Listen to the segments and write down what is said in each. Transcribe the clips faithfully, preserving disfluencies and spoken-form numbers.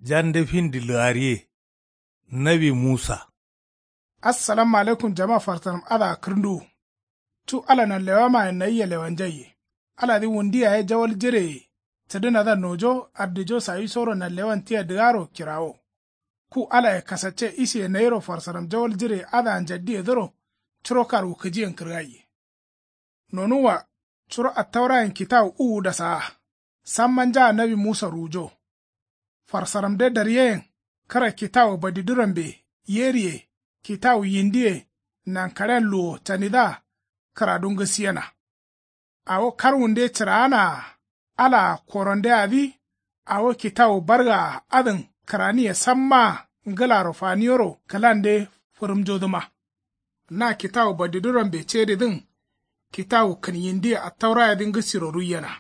Jande findi lǝgariye. Nawi musa. Assalamu alaikum jama farsaram adǝa kǝrnduwu. Cu ala nanlewamayen nayia lewanjaiye. Aladǝ wundu yaye jawal jireye. Cǝdǝnadǝa nojo ardijo sawisoro nanlewan tia dǝgaro kirawo. Ku alaye kasacce isiye nayiro farsaram jawal jireye adǝa njaddiyedǝro. Curo karwukǝjiyen kǝrgaiye. Nonuwwa. Curo attaurayen kitawu uwu dasaa. Samma njaa nawi musa ruwujo. Farsaramde daryeyen. Kǝra kitawu badidurambe yeriye. Kitawu yindiye. Nankaɍen luwo canidǝa. Kǝradu ngǝsiyena. Awo karwunde cǝraanaa. Alaa korondeadǝ. Awo kitawu bargaa adǝn kǝraniye sammaa. Ngǝlaro faniyoro kǝlande fǝrǝmjodǝma. Na kitawu badidurambe cedidǝn. Kitawu kǝn yindiye attaurayedǝ ngǝsiro ruiyena.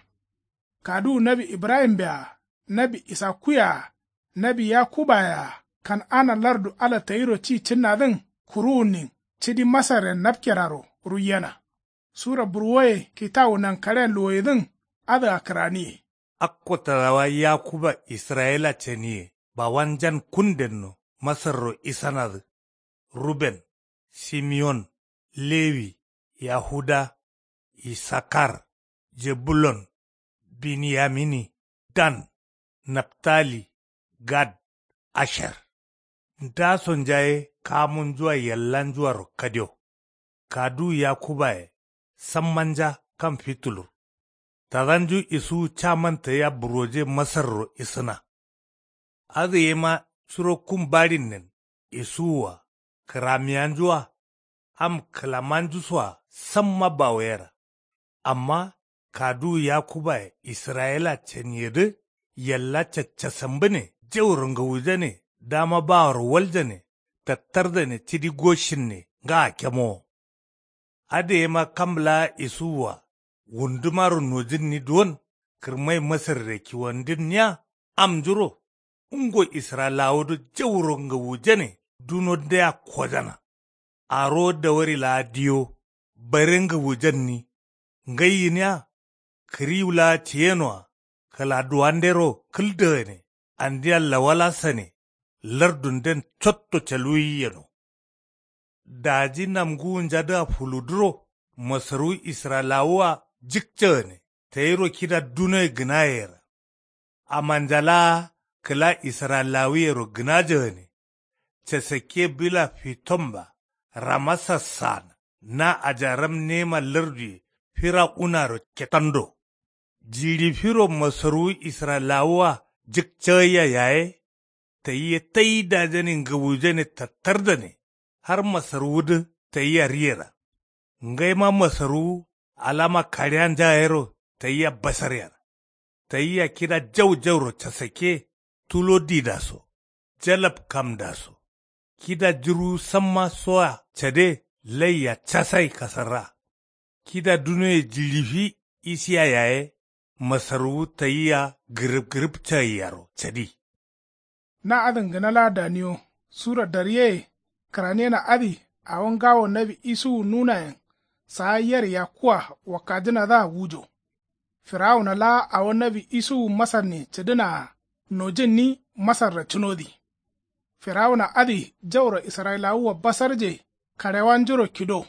Kaduwu nawi ibrahimbe-a. Nawi isakkuyea. Nawi yakubaye-a. Kan'ana lardu ala tayiro ci cǝnnadǝn kuruwunnin cidi masarren napkeraro ruiyena. Sura burwoye kitawu nankaɍen luwoyedǝn. Adǝa kǝraniye. Akko tadawa yakuba israyila ceniye bawanjan kundenno masarro isanadǝ. Ruben, simeon, lewi, yahuda, isakar, jebulon, binyamini, dan, naftali, gad, asher. Ndasonja ye kamunjua yallanjuaro kadio. Kaduwu yakubaye sammanja kam fitulur. Tadanju isuwu caman tayia buroje masarro isǝna. Adǝ yema curo kum baɍinnen isuwua kǝramiyanjua. Am kǝlamanjusoa samma bawoyera. Amma kaduwu yakubaye israyila caniyedǝ yalla caccasambǝne jauro ngawujane dama baworo waljane tattardane cidi goshinne ngaa kemowo. Adǝ yema kam laa isuwua wundumaro nojǝnni duwon kǝrmai masarre kiwandǝnniya. Amnjuro ngo israyilawodǝ jauro ngawujane dunondea kojana. Arowo dawari laa diyo bare ngawujanni. Ngai gǝniya kǝriwu laa ciyenoa kǝladuwandero kǝldagane andia lawalasane. Lardunden cotto caluwi yeno. Daji namnguwunjadǝa fuludǝro masarwu israyilawua jǝkcagane tayiro kida dunoye gǝnayeyera. Amanja laa kǝla israyilawuyero gǝnajagane. Casakke bila fitomba ramasa saana na ajaram nema larduye fira unaro ketando. Jiɍifiro masarwu israyilawua jǝkcagaiya yaye. Tayia tai dajane ngawujane tattardane har masarwudǝ tayia riyera. Ngaima masarwu alama kaɍiyanja yero tayia basaryera. Tayia kida jau jauro casakke tulo didaso jalab kamdaso. Kida jǝrwu samma soa cade laiya casai kasarra. Kida dunoye jiɍifi isiya yaye masarwu tayia gǝrǝb gǝrǝb cagaiyaro cadi. Na adǝn gǝna laa daniyo sura daryeye kǝraniyena adǝ. Awo ngawo nawi isuwu nunayen saa yer yakkua wakkajǝnadǝa wujo. Firawuna laa awo nawi isuwu masarnin cǝdǝnaa nojǝnni masarra cǝnodǝ. Firawuna adǝ jauro israyilawua basarje kaɍewanjuro kido.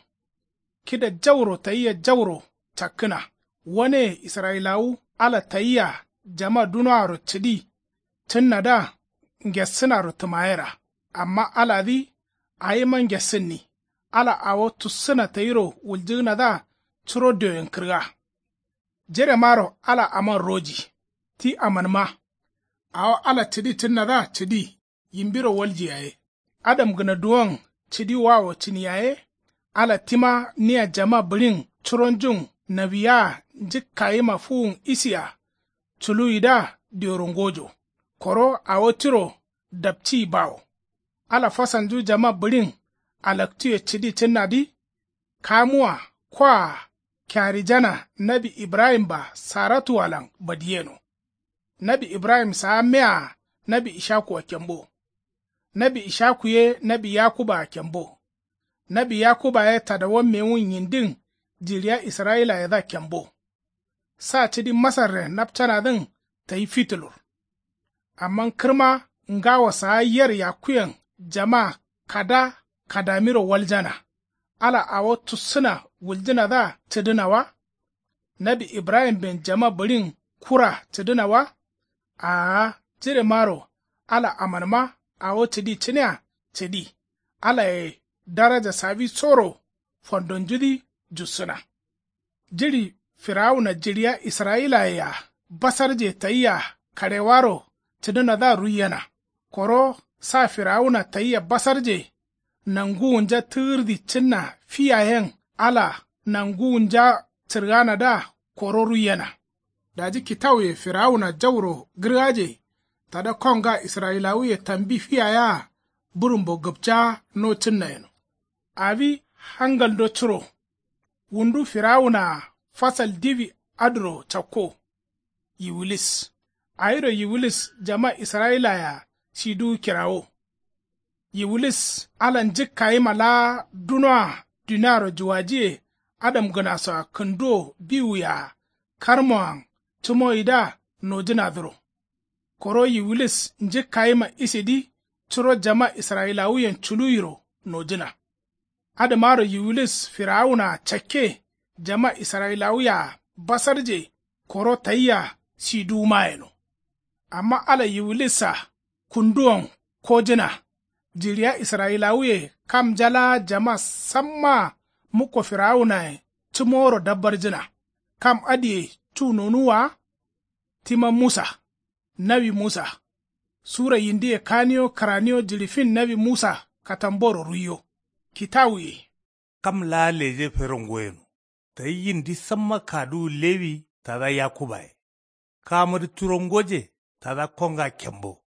Kida jauro tayia jauro cakkǝna. Waneye israyilawu ala tayia jama dunoaro cǝdi cǝnnadǝa ngessǝnaro tǝmayera. Amma aladǝ awima ngessǝnni. Ala awo tussǝna tayiro wuljǝgǝnadǝa curo dioyen kǝrga. Jeremaro ala aman roji ti amanma. Awo ala cǝdi cǝnnadǝa cǝdi yimbiro walji yaye. Adamgǝna duwon cǝdi wawo cǝni yaye. Ala tima nia jama bǝɍin curonjun nawiyaa njǝkkayima fuwun isiya. Culuwidǝa dioro ngojo koro awo tiro dapciyi bawo. Ala fasalnju jama bǝɍin alaktuye cǝdi cǝnnadǝ. Kamuwa koa kearijana nawi ibrahim-a saratuwalan badiyeno. Nawi ibrahim saa mea nawi ishakua kembo. Nawi ishaku ye nawi yakubaa kembo. Nawi yakuba ye tadawa mewun yindin jiɍiya israyilayedǝa kembo. Sa cǝdi masarren napcanadǝn tayi fitulur. Amma kǝrma ngawo saa yer yakkuyen jama kada kadamiro waljana. Ala awo tussǝna wuljǝnadǝa cǝdǝna wa? Nawi ibrahimben jama bǝɍin kura cǝdǝna wa? Aa, jiɍemaro ala amanma awo cǝdi cǝnea cǝdi. Alaye daraja sawisoro fondonjudǝ jussǝna. Jiɍi firawuna jiɍiya israyilaye-a basarje tayia kaɍewaro cǝdǝnadǝa ruiyena. Koro sa firawuna tayia basarje nanguwunja tǝgǝrdi cǝnna fi yayen ala nanguwunja cǝrganadǝa koro ruiyena. Daji kitawuye firawuna jauro gǝrgaje tada konga israyilawuye tambi fi yayea bǝrǝmbo gǝpcaa no cǝnna yeno. Awi hangaldo curo. Wundu firawunaa fasal diwi adǝro cakko. Yiwilis. Awiro yiwilis jama israyilaye-a siduwu kirawo. Yiwilis ala njǝkkayima laa dunoa duniaro juwajiye adamgǝnasoa kǝnduwo biwuye-a karmoan cǝmoyidǝa nojǝnadǝro. Koro yiwilis njǝkkayima isidǝ curo jama israyilawuyen culuwiro nojǝna. Adǝmaro yiwilis firawunaa cakke jama israyilawuye-a basarje koro tayia siduwuma yeno. Amma ala yiwilissa kunduwon kojǝna. Jiɍiya israyilawuye kamnja laa jama sammaa mukko firawunayen cǝmoworo dabbarjǝna. Kam adǝye cu nonuwwa wa? Tima musa. Nawi musa. Sura yindiye kaniyo kǝraniyo jiɍi fin nawi musa katamboro ruiyo. Kitawuye. Kam laa leje fero ngoyeno. Tayi yindi samma kaduwu lewi tada yakubaye. Kamudǝ curo ngoje tada konga kembo.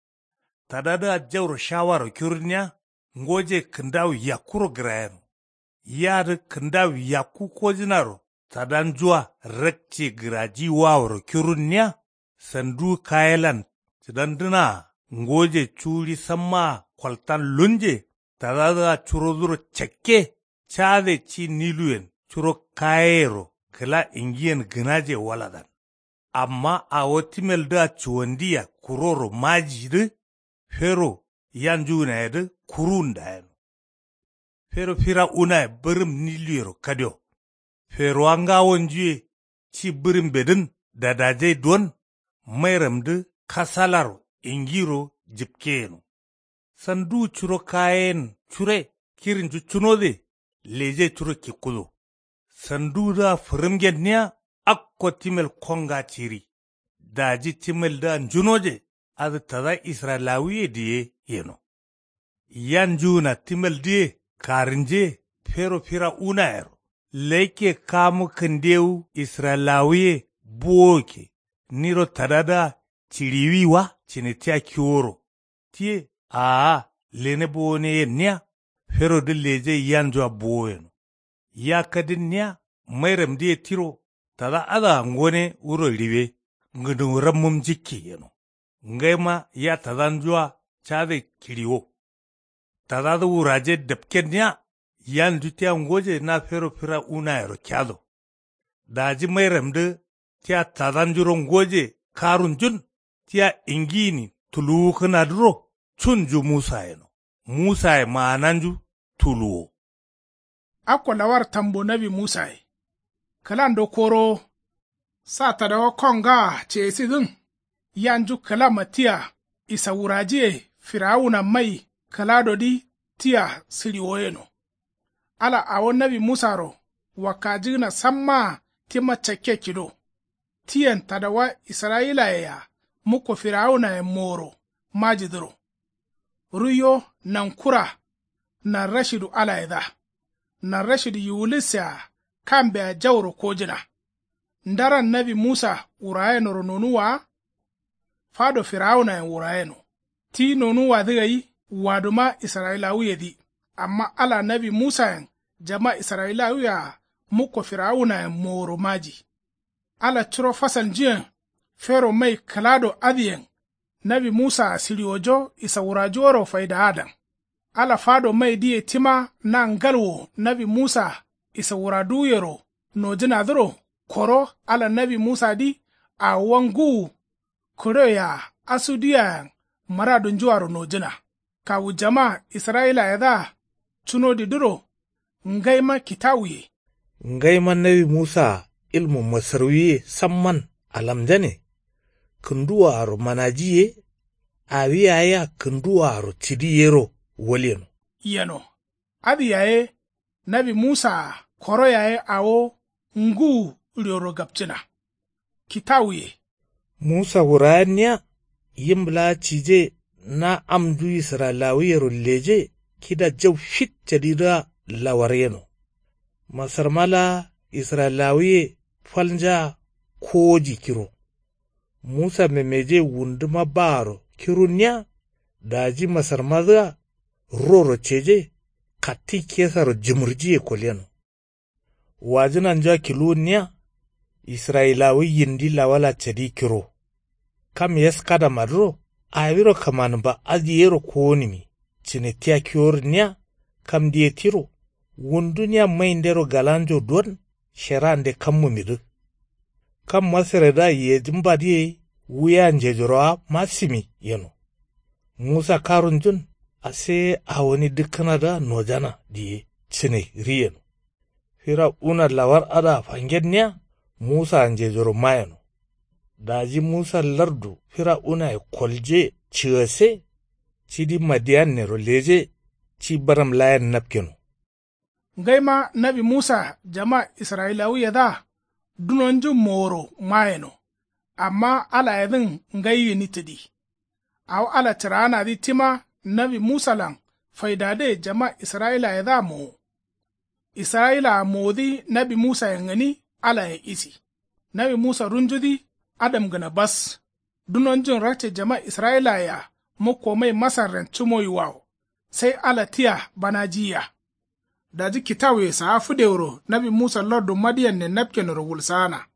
Tadadǝa jauro shawaro kirunniya. Ngoje kǝndawu yakkuro gǝrayeno. Yadǝ kǝndawu yakku kojǝnaro tadanjua rakce gǝraji waworo kirunniya. Sanduwu kayelan cǝdandǝnaa ngoje cuwuɍi sammaa koltan lunje. Tadadǝa curoduro cakke cade ci niluyen curo kayeyero kǝla ingiyen gǝnaje waladan. Amma awo timeldǝa cuwandiya kuroro majidǝ fero yanjuwunayedǝ kuruwun dayeno. Fero firawunaye bǝrǝm niluyero kadio. Ferowa ngawonjuye ci bǝrǝmbedǝn dadajai duwon mairamdǝ kasalaro ingiro jǝpke yeno. Sanduwu curo kayeyen cure kirinju cunode leje curo kikkudo. Sanduwudǝa fǝrǝmgenniya akko timel konga ciri. Daji timeldǝa njunoje adǝ tada israyilawuye diye yeno. Yanjuwuna timeldǝye karǝnje fero firawunayero. Laikke kamu kǝndewu israyilawuye buwowokke niro tadadǝa ciɍiwi wa cǝne tia kiworo. Tiye aa lene bowone yenniya ferodǝ leje yanjua bowo yeno. Ya kadinniya mairamdǝye tiro tada adǝa ngone wuro riwe ngǝnǝwu rammum njǝkke yeno. Ngaima ya tadanjua cade kiɍiwo. Tadadǝ wuraje dapkenniya yanju tia ngoje na fero firawunayero kiado. Daji mairamdǝ tia tadanjuro ngoje karunjun tia ingiyini tuluwukǝnadǝro cunju musa yeno. Musaye maananju tuluwo. Akko lawar tambo nawi musaye. Kǝlando korowo. Sa tadawa kongaa ceyesidǝn yanju kǝlama tia isawurajiye firawuna mai kǝladodǝ tia sǝɍiwo yeno. Ala awo nawi musaro wakkajǝgǝna sammaa tima cakke kido. Tiyen tadawa israyilaye-a mukko firawunayen moworo majidǝro. Ruiyo nankura narrashidu alayedǝa. Narrashidu yiwulisse-a kambea jauro kojǝna. Ndaran nawi musa wurayenoro nonuwwa wa? Fado firawunayen wurayeno. Ti nonuwwadǝ gai waduma israyilawuyedǝ. Amma ala nawi musayen jama israyilawuye-a mukko firawunayen moworo maji. Ala curo fasalnjuyen fero mai kǝlado adǝyen nawi musaa siɍiwojo isawurajuworo faidaadan. Ala fado maidǝye tima na ngalwo nawi musa isawuraduwuyero nojǝnadǝro koro ala nawi musadǝ awowa ngǝwu kǝɍoye-a asuduyeayen Muradunjuaro nojǝna. Kawu jama israyilayedǝa cunodidǝro ngaima kitawuye. Ngaima nawi musaa ilmu masarwiye samman alamjane. Kǝnduwoaro manaji ye. Awi yaye-a kǝnduwoaro cǝdi yero walyeno. Yeno. Adǝ yaye nawi musaa koro yaye awo ngǝwu rioro gapcǝna. Kitawuye. Musa wurayenniya yim laa cije na amnju israyilawuyero leje kida jau fit cadidǝa lawar yeno. Masarma laa israyilawuye falnjaa kowoji kiro. Musa memeje wunduma baaro kirunniya daji masarmadǝa roro ceje katti kesaro jǝmǝrjiye kolyeno. Wajǝnanjua kiluwunniya israyilawu yindi lawala cadi kiro. Kam yeskadamadǝro awiro kǝmanǝmba adǝ yero kowonǝmi cǝne tia kiworǝnniya. Kamdiye tiro wundunia maindero galanjo duwon sherande kammumidǝ. Kam masaredǝa yejǝmbadǝ ye wuya njejorowa masǝmi yeno. Musa karunjun ase awoni dǝkkǝnadǝa nojana diye cǝne ri yeno. Firauna lawar adǝa fangenniya musaa njejoro mayeno. Daji musa lardu firaunaye kolje cǝgase cidi madiyannero leje ci baram layen napkeno. Ngaima nawi musa jama israyilawuyedǝa dunonju moworo mayeno. Amma alayedǝn ngai gǝni tǝdi. Awo ala cǝraanadǝ tima nawi musalan faidadǝye jama israyilayedǝa mowo. Israyilaa mowodǝ nawi musayen gǝni alayen isi. Nawi musa runjudǝ adamgǝna bas. Dunonjun rakce jama israyilayea mukko mai masarren cǝmoyiwawo. Sai ala tia banajiyiya. Daji kitawuye saa fǝdewuro nawi musa lardu madiyanne napkenoro wulsaana.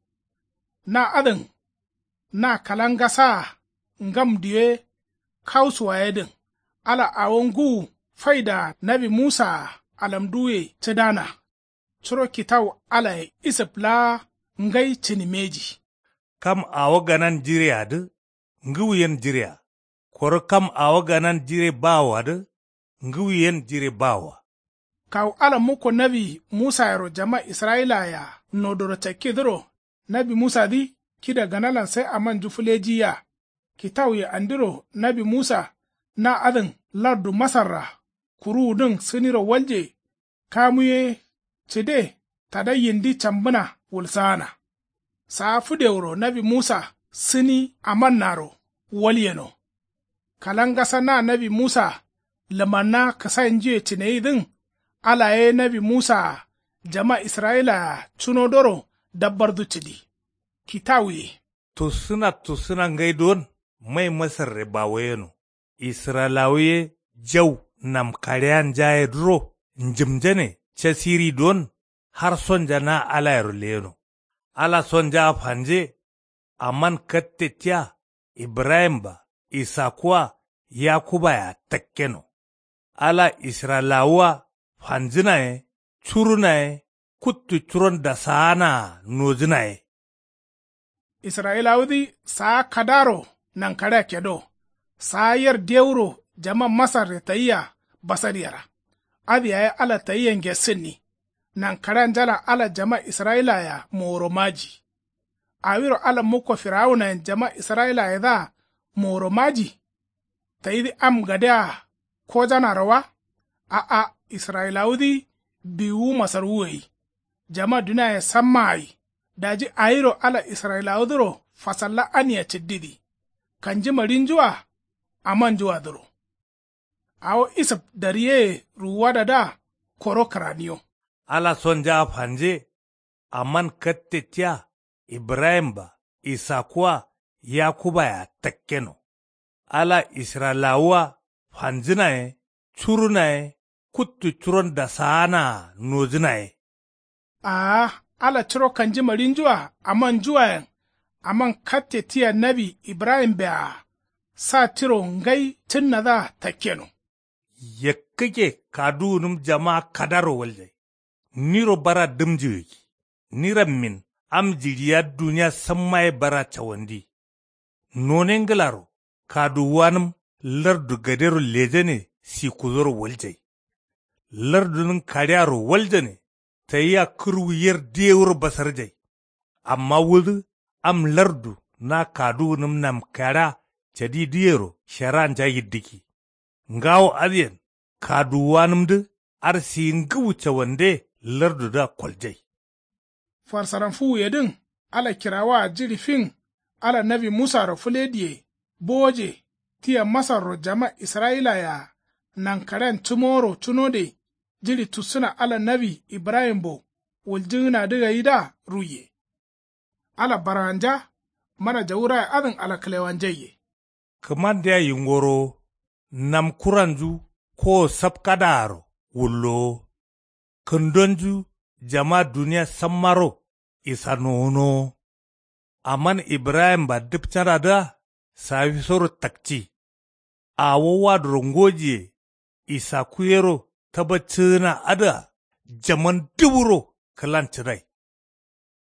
Na adǝn na kalangasaa ngam diwe kausuwa yedǝn. Ala awo ngǝwu faidaa nawi musaa alamduwuye cǝdana. Curo kitawu alaye isǝp laa ngai cǝnǝmeji. Kam awo ganan jireadǝ ngǝwu yen jirea. Koro kam awo ganan jire bawoadǝ ngǝwu yen jire bawoa. Kawu ala mukko nawi musayero jama israyilayea nodoro cakkidǝro nawi musadǝ kida ganalan sai amanju fǝlejiyiya. Kitawuye andiro nawi musa na adǝn lardu masarra kuruwudǝn sǝniro walje. Kamu ye cǝde tada yindi cambǝna wulsaana. Saa fǝdewuro nawi musa sǝni amannaro walyeno. Kalangasa na nawi musa lǝmanna kǝsainjuye cǝneyidǝn. Ala ye nawi musaa jama israyilayea cunodoro dabbardu cǝdi. Kitawuye. Tussǝna tussǝna ngai duwon mai masarre bawoyeno. Israyilawu ye jau namkaɍeyanjayedǝro njǝmjane casiri duwon har sonja na alayero leyeno. Ala sonjaa fanje. Aman katte tia ibrahim-a isaku-a yakuba-a takkeno. Ala israyilawu-a fanjǝna ye curuna ye kuttu curon dasaana-a nojǝna ye. Israyilawudǝ saa kadaro nankaɍea kedo. Saa yer dewuro jama masarre tayia basaryera. Adǝ yaye ala tayia ngessǝnni. Nankaɍeanjalan ala jama israyilayea moworo maji. Awiro ala mukko firawunayen jama israyilayedǝa moworo maji. Tayidǝ am gadea kojanaro wa? A'a. Israyilawudǝ biwuwu masarwu gai. Jama duniaye samma gai. Daji awiro ala israyilawudǝro fasalla ania cǝddidǝ. Kanjima ɍinjua amanjuadǝro. Awo isǝp daryeye ruwuwadadǝa koro kǝraniyo. Ala sonjaa fanje. Aman katte tia ibrahim-a isaku-a yakuba-a takkeno. Ala israyilawu-a fanjǝna ye curuna ye kuttu curon dasaana-a nojǝna ye. Aa. Ala curo kanjima ɍinjua amanjuayen aman katte tia nawi ibrahim-be-a sa tiro ngai cǝnnadǝa takkeno. Yakkǝkke kaduwunǝm jamaa kadaro waljai. Niro bara dǝmjǝgǝggi. Nirammin am jiɍiya duniya samma ye bara cawandi. None ngǝlaro kaduwuwanǝm lardu gadero lejane. Sikudzoro waljai. Lardunǝn kaɍearo waljane. Tayiya kǝrwu yer dewuro basarjai. Amma wudǝ am lardu na kaduwunǝm namkaɍea cadidǝyero sharanja yiddǝkki. Ngawo adǝyen kaduwuwanǝmdǝ. Adǝ siyi ngǝwu cawande lardudǝa koljai. Farsaram fuwuyedǝn ala kirawaa jiɍi fin ala nawi musaro fǝlediye bowoje. Tia masarro jama israyilaye-a nankaɍean cǝmoworo cunode. Jiɍi tussǝna ala nawi ibrahimbo wuljǝgǝnadǝ gaidǝa ruiye. Ala barganja mana jawuraye adǝn ala kǝlewanjaiye. Kǝmandea yingorowo. Namkuranju kowo sapkadaaro wullowo. Kǝndonju jama duniya sammaro. Isa nowonowo. Aman ibrahimba dǝpcanadǝa sawisoro takci. Awo waduro ngojiye. Isakkuyero tabaccǝgǝna adǝa jaman dǝburo kǝlan cǝdai.